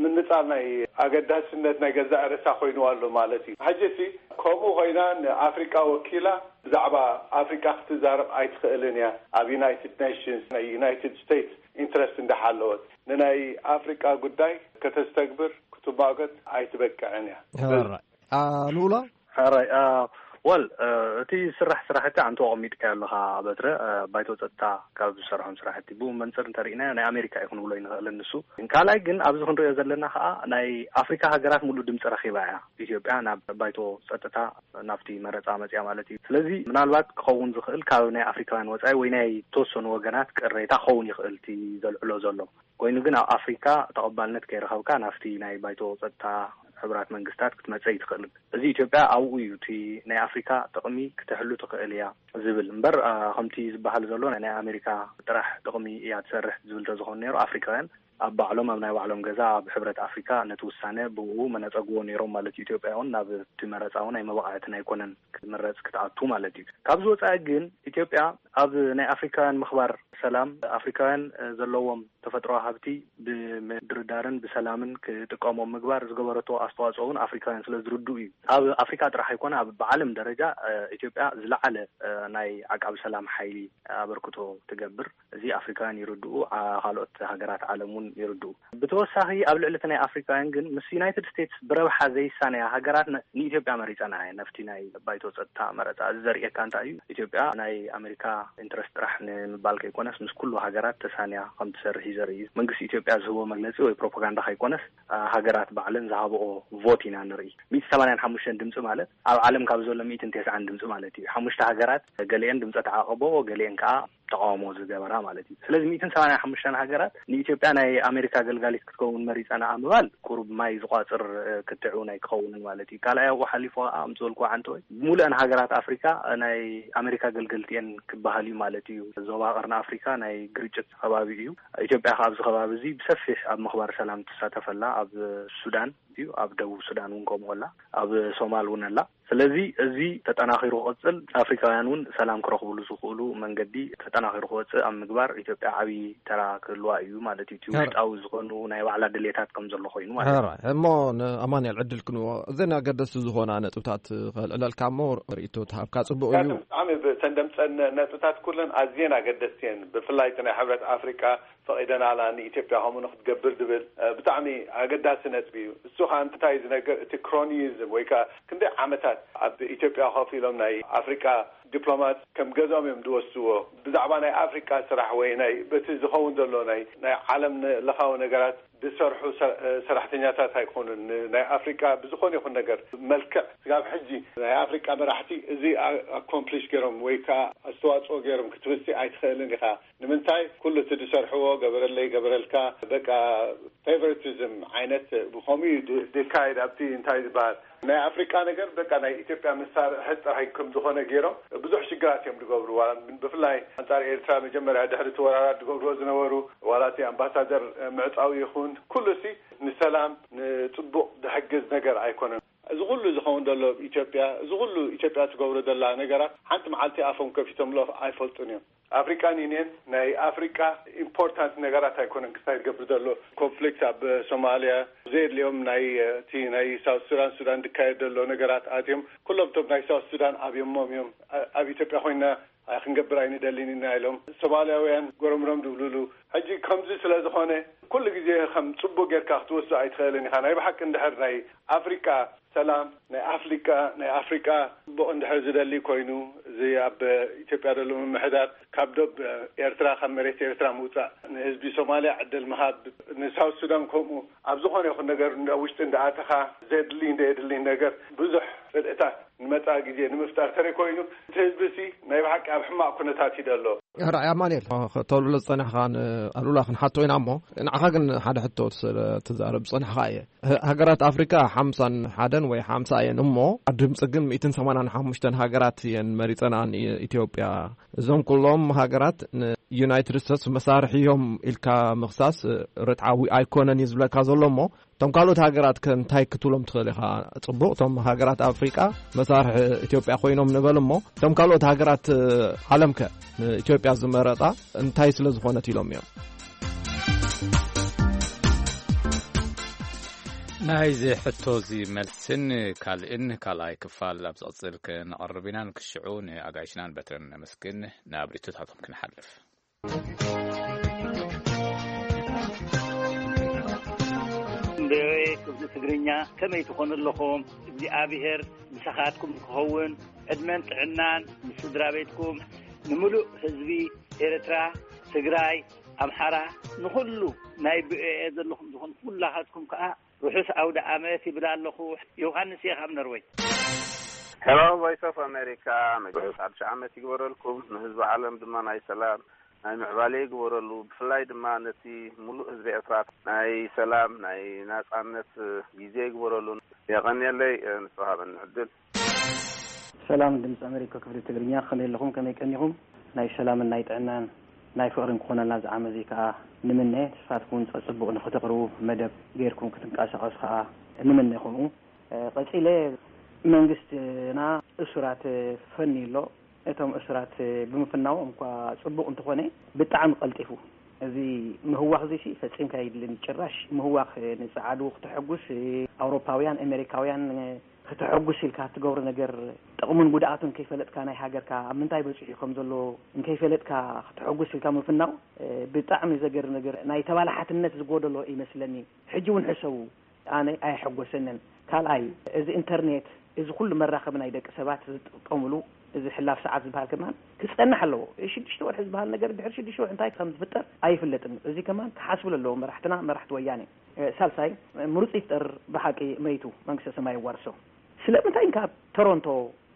ምንጻር ናይ ኣገዳስነት ናይ ገዛእ ርእሳ ኮይኑ ኣሎ ማለት እዩ። ሕጂ እቲ ከምኡ ኮይና ንኣፍሪቃ ወኪላ ብዛዕባ ኣፍሪቃ ክትዛረብ ኣይትኽእልን እያ። ኣብ ዩናይትድ ኔሽንስ ናይ ዩናይትድ ስቴትስ ኢንትረስት እንዳሓለወት ንናይ ኣፍሪቃ ጉዳይ ከተስተግብር ክትማገት ኣይትበቅዕን እያ። ኣሉላ ሓራይ ወል እቲ ስራሕ ስራሕቲ ኣንተ ኣቐሚጥካ ኣለኻ በትረ ባይቶ ጸጥታ ካብ ዝሰርሖም ስራሕቲ ብኡ መንፅር እንተርኢና ናይ ኣሜሪካ እዩ ክንብሎ ይንኽእል ንሱ። ካልኣይ ግን ኣብዚ ክንሪኦ ዘለና ከዓ ናይ ኣፍሪካ ሃገራት ሙሉእ ድምፂ ረኪባ እያ ኢትዮጵያ ናብ ባይቶ ጸጥታ ናብቲ መረፃ መፅያ ማለት እዩ። ስለዚ ምናልባት ክኸውን ዝኽእል ካብ ናይ ኣፍሪካውያን ወፃኢ ወይ ናይ ተወሰኑ ወገናት ቅሬታ ክኸውን ይኽእል እቲ ዘልዕሎ ዘሎ። ኮይኑ ግን ኣብ ኣፍሪካ ተቐባልነት ከይረኸብካ ናብቲ ናይ ባይቶ ጸጥታ ሕቡራት መንግስታት ክትመፀ ይትኽእልን። እዚ ኢትዮጵያ ኣብኡ እዩ እቲ ናይ ኣፍሪካ ጥቕሚ ክትሕሉ ትኽእል እያ ዝብል እምበር ከምቲ ዝበሃል ዘሎ ናይ ኣሜሪካ ጥራሕ ጥቕሚ እያ ትሰርሕ ዝብል ተዝኾን ነይሩ ኣፍሪካውያን ኣብ ባዕሎም ኣብ ናይ ባዕሎም ገዛ ኣብ ሕብረት ኣፍሪካ ነቲ ውሳነ ብኡ መነፀግዎ ነይሮም ማለት እዩ። ኢትዮጵያ እውን ናብ እቲ መረፃ እውን ኣይመበቃዕትን ኣይኮነን ክምረፅ ክትኣቱ ማለት እዩ። ካብዚ ወፃኢ ግን ኢትዮጵያ ኣብ ናይ ኣፍሪካውያን ምኽባር ሰላም ኣፍሪካውያን ዘለዎም ተፈጥሮዊ ሃብቲ ብምድርዳርን ብሰላምን ክጥቀሞም ምግባር ዝገበረቶ ኣስተዋፅኦ እውን ኣፍሪካውያን ስለ ዝርድኡ እዩ። ኣብ ኣፍሪካ ጥራሕ ኣይኮነ ኣብ ብዓለም ደረጃ ኢትዮጵያ ዝለዓለ ናይ ዓቃቢ ሰላም ሓይሊ ኣበርክቶ ትገብር። እዚ ኣፍሪካውያን ይርድኡ፣ ካልኦት ሃገራት ዓለም እውን ይርድኡ። ብተወሳኺ ኣብ ልዕሊ እቲ ናይ ኣፍሪካውያን ግን ምስ ዩናይትድ ስቴትስ ብረብሓ ዘይሳነያ ሃገራት ንኢትዮጵያ መሪፀና እየ ነፍቲ ናይ ባይቶ ፀጥታ መረፃ። እዚ ዘርእየካ እንታይ እዩ? ኢትዮጵያ ናይ ኣሜሪካ ኢንትረስት ጥራሕ ንምባል ከይኮነስ ምስ ኩሉ ሃገራት ተሳንያ ከም ትሰርሕ እዩ ዘርኢ። መንግስቲ ኢትዮጵያ ዝህቦ መግለፂ ወይ ፕሮፓጋንዳ ከይኮነስ ሃገራት ባዕለን ዝሃብኦ ቮት ኢና ንርኢ። ሚእቲ ሰማንያን ሓሙሽተን ድምፂ ማለት ኣብ ዓለም ካብ ዘሎ ሚእትን ተስዓን ድምፂ ማለት እዩ። ሓሙሽተ ሃገራት ገሊአን ድምፀ ተዓቀቦ ገሊአን ከዓ ተቃውሞ ዝገበራ ማለት እዩ። ስለዚ ሚእትን ሰማንያን ሓሙሽተን ሃገራት ንኢትዮጵያ ናይ ኣሜሪካ ገልጋሊት ክትከውን መሪፀና ምባል ቁሩብ ማይ ዝቋፅር ክትዕ እውን ኣይክኸውንን ማለት እዩ። ካልኣይ ኣብኡ ሓሊፉ ከዓ ኣምፅበልኩ ዓንተወይ ብሙሉአን ሃገራት ኣፍሪካ ናይ ኣሜሪካ ገልገልቲ እየን ክበሃል እዩ ማለት እዩ። ዞባ ቀርኒ ኣፍሪካ ናይ ግርጭት ከባቢ እዩ። ኢትዮጵያ ከዓ ኣብዚ ከባቢ እዚ ብሰፊሕ ኣብ ምኽባር ሰላም ትሳተፈላ ኣብ ሱዳን እዩ ኣብ ደቡብ ሱዳን እውን ከምኡ ኣላ ኣብ ሶማል እውን ኣላ። ስለዚ እዚ ተጠናኺሩ ክቕፅል ኣፍሪካውያን እውን ሰላም ክረኽብሉ ዝኽእሉ መንገዲ ተጠናኺሩ ክወፅእ ኣብ ምግባር ኢትዮጵያ ዓብዪ ተራ ክህልዋ እዩ ማለት እዩ። እቲ ውሽጣዊ ዝኾኑ ናይ ባዕላ ድሌታት ከም ዘሎ ኮይኑ ማለት እዩ። ሕራይ እሞ ንኣማንኤል ዕድል ክንዎ እዘን ኣገደስቲ ዝኾና ነጥብታት ከልዕለልካ እሞ ርእይቶ ተሃብካ ፅቡቕ እዩ። ብጣዕሚ ብተን ደምፀን ነጥብታት ኩለን ኣዝየን ኣገደስቲ እየን። ብፍላይ እቲ ናይ ሕብረት ኣፍሪቃ ፈቒደናላ ንኢትዮጵያ ከምኡ ንክትገብር ዝብል ብጣዕሚ ኣገዳሲ ነጥቢ እዩ። እሱ ከዓ እንታይ ዝነገር እቲ ክሮኒዝም ወይ ከዓ ክንደይ ዓመታት ኣብ ኢትዮጵያ ኮፍ ኢሎም ናይ ኣፍሪቃ ዲፕሎማት ከም ገዝኦም እዮም ዝወስድዎ። ብዛዕባ ናይ ኣፍሪቃ ስራሕ ወይ ናይ በቲ ዝኸውን ዘሎ ናይ ናይ ዓለም ለኻዊ ነገራት ዝሰርሑ ሰራሕተኛታት ኣይኮኑን። ናይ ኣፍሪቃ ብዝኾነ ይኹን ነገር መልክዕ ስጋብ ሕጂ ናይ ኣፍሪቃ መራሕቲ እዚ ኣኮምፕሊሽ ገይሮም ወይ ከዓ ኣስተዋፅኦ ገይሮም ክትብልሲ ኣይትኽእልን ኢኻ። ንምንታይ ኩሉ እቲ ዝሰርሕዎ ገበረለይ ገበረልካ በቃ ፌቨሪቲዝም ዓይነት ብኸምኡ እዩ ዝካየድ ኣብቲ እንታይ ዝበሃል ናይ ኣፍሪቃ ነገር በቃ ናይ ኢትዮጵያ መሳርሒ ጥራይ ከም ዝኾነ ገይሮም ብዙሕ ሽግራት እዮም ዝገብሩ። ዋላ ብፍላይ ኣንጻር ኤርትራ መጀመርያ ድሕሪ እቲ ወራራት ዝገብርዎ ዝነበሩ ዋላ እቲ ኣምባሳደር ምዕጻው ይኹን ኩሉ ሲ ንሰላም ንጽቡቕ ዝሕግዝ ነገር ኣይኮነን። እዚ ኩሉ ዝኸውን ዘሎ ኢትዮጵያ፣ እዚ ኩሉ ኢትዮጵያ ትገብሮ ዘላ ነገራት ሓንቲ መዓልቲ ኣፎም ከፊቶምሎ ኣይፈልጡን እዮም። ኣፍሪካን ዩኒየን ናይ ኣፍሪካ ኢምፖርታንት ነገራት ኣይኮነን። ክሳይ ዝገብር ዘሎ ኮንፍሊክት ኣብ ሶማሊያ፣ ዘየድልዮም ናይ እቲ ናይ ሳውት ሱዳን ሱዳን ዝካየድ ዘሎ ነገራት ኣትዮም ኩሎም እቶም ናይ ሳውት ሱዳን ኣብዮሞም እዮም። ኣብ ኢትዮጵያ ኮይና ክንገብር ኣይንደልን ኢና ኢሎም ሶማልያውያን ጎረምሮም ድብሉሉ። ሕጂ ከምዚ ስለ ዝኾነ ኩሉ ግዜ ከም ጽቡቅ ጌርካ ክትወስዶ ኣይትኽእልን ኢኻ። ናይ ብሓቂ እንድሕር ናይ ኣፍሪቃ ሰላም፣ ናይ ኣፍሪቃ ናይ ኣፍሪቃ ጽቡቅ እንድሕር ዝደሊ ኮይኑ፣ እዚ ኣብ ኢትዮጵያ ዘሎ ምምሕዳር ካብ ዶብ ኤርትራ፣ ካብ መሬት ኤርትራ ምውጻእ፣ ንህዝቢ ሶማልያ ዕድል ምሃብ፣ ንሳውት ሱዳን ከምኡ፣ ኣብ ዝኾነ ይኹን ነገር እንዳ ውሽጢ እንዳኣተኻ ዘድሊ እንደ የድሊ ነገር ብዙሕ ጽልእታት ንመጻኢ ግዜ ንምፍጣር ተረይ ኮይኑ፣ እቲ ህዝቢ ሲ ናይ ብሓቂ ኣብ ሕማቕ ኩነታት እዩ ዘሎ። ራእይ ኣማኑኤል፣ ከተብሎ ዝጸናሕካ ንኣሉላ ክንሓቶ ኢና እሞ፣ ንዓኻ ግን ሓደ ሕቶ ስለ ትዛረብ ዝጸናሕካ እየ። ሃ-፣ ሃገራት ኣፍሪካ ሓምሳን ሓደን ወይ ሓምሳ እየን እሞ፣ ድምፂ ግን ሚእትን ሰማንያን ሓሙሽተን ሃገራት እየን መሪጸናን ኢ-፣ ኢትዮጵያ። እዞም ኩሎም ሃገራት ንዩናይትድ ስቴትስ መሳርሒ እዮም ኢልካ ምኽሳስ ርትዓዊ ኣይኮነን እዩ ዝብለካ ዘሎ እሞ፣ እቶም ካልኦት ሃገራት ከ እንታይ ክትብሎም ትኽእል ኢኻ? ጽቡቕ፣ እቶም ሃገራት ኣፍሪቃ መሳርሒ ኢትዮጵያ ኮይኖም ንበል እሞ፣ እቶም ካልኦት ሃገራት ዓለም ከ ንኢትዮጵያ ዝመረጻ እንታይ ስለ ዝኾነት ኢሎም እዮም? ናይዚ ሕቶ እዚ መልስን ካልእን ካልኣይ ክፋል ኣብ ዝቕጽል ክነቕርብ ኢና። ንክሽዑ ንኣጋይሽናን በትረን ነመስግን። ናብ ርእይቶታቶም ክንሓልፍ። ቪኦኤ ክፍሊ ትግርኛ፣ ከመይ ትኾኑ ኣለኹም? እግዚኣብሔር ምሳኻትኩም ክኸውን፣ ዕድመን ጥዕናን ምስ ስድራ ቤትኩም፣ ንምሉእ ህዝቢ ኤርትራ፣ ትግራይ፣ ኣምሓራ፣ ንኹሉ ናይ ቪኦኤ ዘለኹም ዝኾኑ ኩላኻትኩም ከኣ ርሑስ ኣውደ ኣመት ይብል ኣለኹ። ዮሃንስ እየ ካብ ነርወይ። ሄሎ፣ ቮይስ ኦፍ ኣሜሪካ፣ ርሑስ ሓድሽ ዓመት ይግበረልኩም። ንህዝቢ ዓለም ድማ ናይ ሰላም፣ ናይ ምዕባለ ይግበረሉ። ብፍላይ ድማ ነቲ ሙሉእ ህዝቢ ኤርትራ ናይ ሰላም፣ ናይ ናጻነት ግዜ ይግበረሉ። የቐንየለይ፣ ንዝተዋሃበኒ ዕድል። ሰላም ድምፂ ኣሜሪካ ክፍሊ ትግርኛ፣ ከመይ ኣለኹም? ከመይ ቀኒኹም? ናይ ሰላምን ናይ ጥዕናን ናይ ፍቕርን ክኾነልና እዚ ዓመት እዚ ከዓ ንምነ። ንስኻትኩም እውን ጸጽቡቕ ንኽተቕርቡ መደብ ጌርኩም ክትንቀሳቐሱ ከዓ ንምነ። ከምኡ፣ እ፣ ቀጺለ መንግስትና እሱራት ፈንዩ ኣሎ። እቶም እሱራት ብምፍናዎም እኳ ጽቡቕ እንተኾነ፣ ብጣዕሚ ቀልጢፉ። እዚ ምህዋኽ እዚ ሲ ፈጺምካ የድልን። ጭራሽ ምህዋኽ ንጸዓዱ ክተሐጉስ፣ ኣውሮፓውያን፣ ኣሜሪካውያን ክተሐጉስ ኢልካ እትገብሮ ነገር ጥቕሙን ጉድኣቱን ከይፈለጥካ ናይ ሃገርካ ኣብ ምንታይ በጺሑ ከም ዘሎ እንከይፈለጥካ ክተሐጉስ ኢልካ ምፍናው፣ እ፣ ብጣዕሚ ዘገርም ነገር፣ ናይ ተባላሓትነት ዝጎደሎ ይመስለኒ። ሕጂ እውን ሕሰቡ፣ ኣነ ኣይሐጎሰንን። ካልኣይ፣ እዚ ኢንተርኔት፣ እዚ ኩሉ መራኸቢ ናይ ደቂ ሰባት ዝጥቀምሉ፣ እዚ ሕላፍ ሰዓት ዝበሃል ከማን ክጸንሕ ኣለዎ። እዚ ሽዱሽተ ወርሒ ዝበሃል ነገር ድሕሪ ሽዱሽተ ወርሒ እንታይ ከም ዝፍጠር ኣይፍለጥን። እዚ ከማን ክሓስብሉ ኣለዎም መራሕትና፣ መራሕቲ ወያኔ። እ፣ ሳልሳይ፣ ምሩጽ ይፍጠር ብሓቂ መይቱ፣ መንግስተ ሰማይ የዋርሶ። ስለምንታይ እንካ ቶሮንቶ፣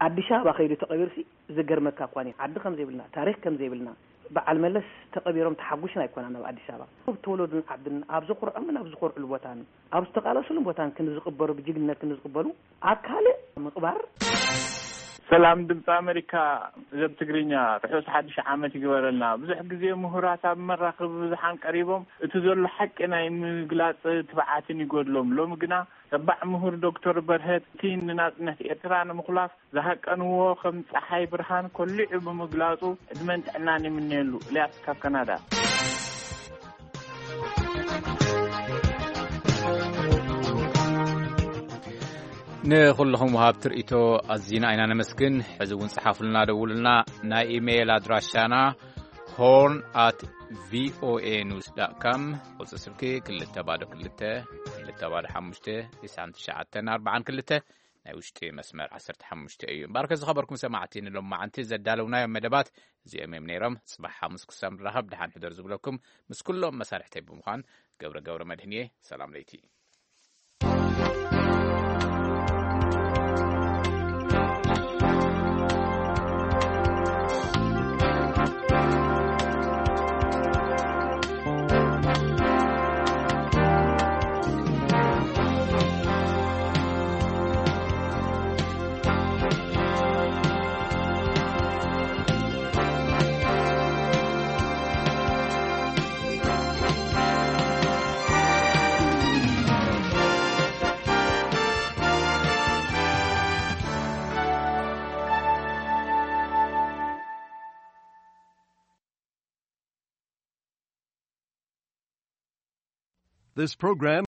ኣዲስ ኣበባ ከይዱ ተቐቢሩሲ ዝገርመካ እኳ እዩ። ዓዲ ከም ዘይብልና፣ ታሪኽ ከም ዘይብልና፣ በዓል መለስ ተቐቢሮም ተሓጒስና ኣይኮናን ኣብ ኣዲስ ኣበባ። ኣብ ተወለዱን ዓድን፣ ኣብ ዝኹርዖምን ኣብ ዝኾርዕሉ ቦታን፣ ኣብ ዝተቓለሱሉን ቦታን ክንዝቕበሩ፣ ብጅግንነት ክንዝቕበሉ፣ ኣብ ካልእ ምቕባር። ሰላም ድምፂ ኣሜሪካ፣ ዘብ ትግርኛ፣ ርሑስ ሓድሽ ዓመት ይግበረልና። ብዙሕ ግዜ ምሁራት ኣብ መራኸቢ ብዙሓን ቀሪቦም እቲ ዘሎ ሓቂ ናይ ምግላፅ ትብዓትን ይጎድሎም። ሎሚ ግና ተባዕ ምሁር ዶክተር በርሀት እቲ ንናጽነት ኤርትራ ንምኹላፍ ዝሃቀንዎ ከም ጸሓይ ብርሃን ኮሊዑ ብምግላጹ ዕድመን ጥዕናን ይምነየሉ። ኤልያስ ካብ ካናዳ። ንኹልኹም ወሃብቲ ርእይቶ ኣዚና ኢና ነመስግን። ሕዚ እውን ጸሓፉልና፣ ደውሉልና። ናይ ኢሜይል ኣድራሻና ሆርን ኣት ቪኦኤ ኒውስ ዳት ካም፣ ቁጽሪ ስልኪ ክልተ ባዶ ክልተ፣ ክልተ ባዶ ሓሙሽተ፣ ትስዓን ትሽዓተን ኣርባዓን ክልተ፣ ናይ ውሽጢ መስመር ዓሰርተ ሓሙሽተ እዩ። እምበኣርከ ዝኸበርኩም ሰማዕቲ፣ ንሎማዓንቲ ዘዳለውናዮም መደባት እዚኦም እዮም ነይሮም። ጽባሕ ሓሙስ ክሳብ ንራኸብ ደሓን ሕደር ዝብለኩም ምስ ኩሎም መሳርሕተይ ብምዃን ገብረ ገብረ መድህን እየ። ሰላም ለይቲ። This program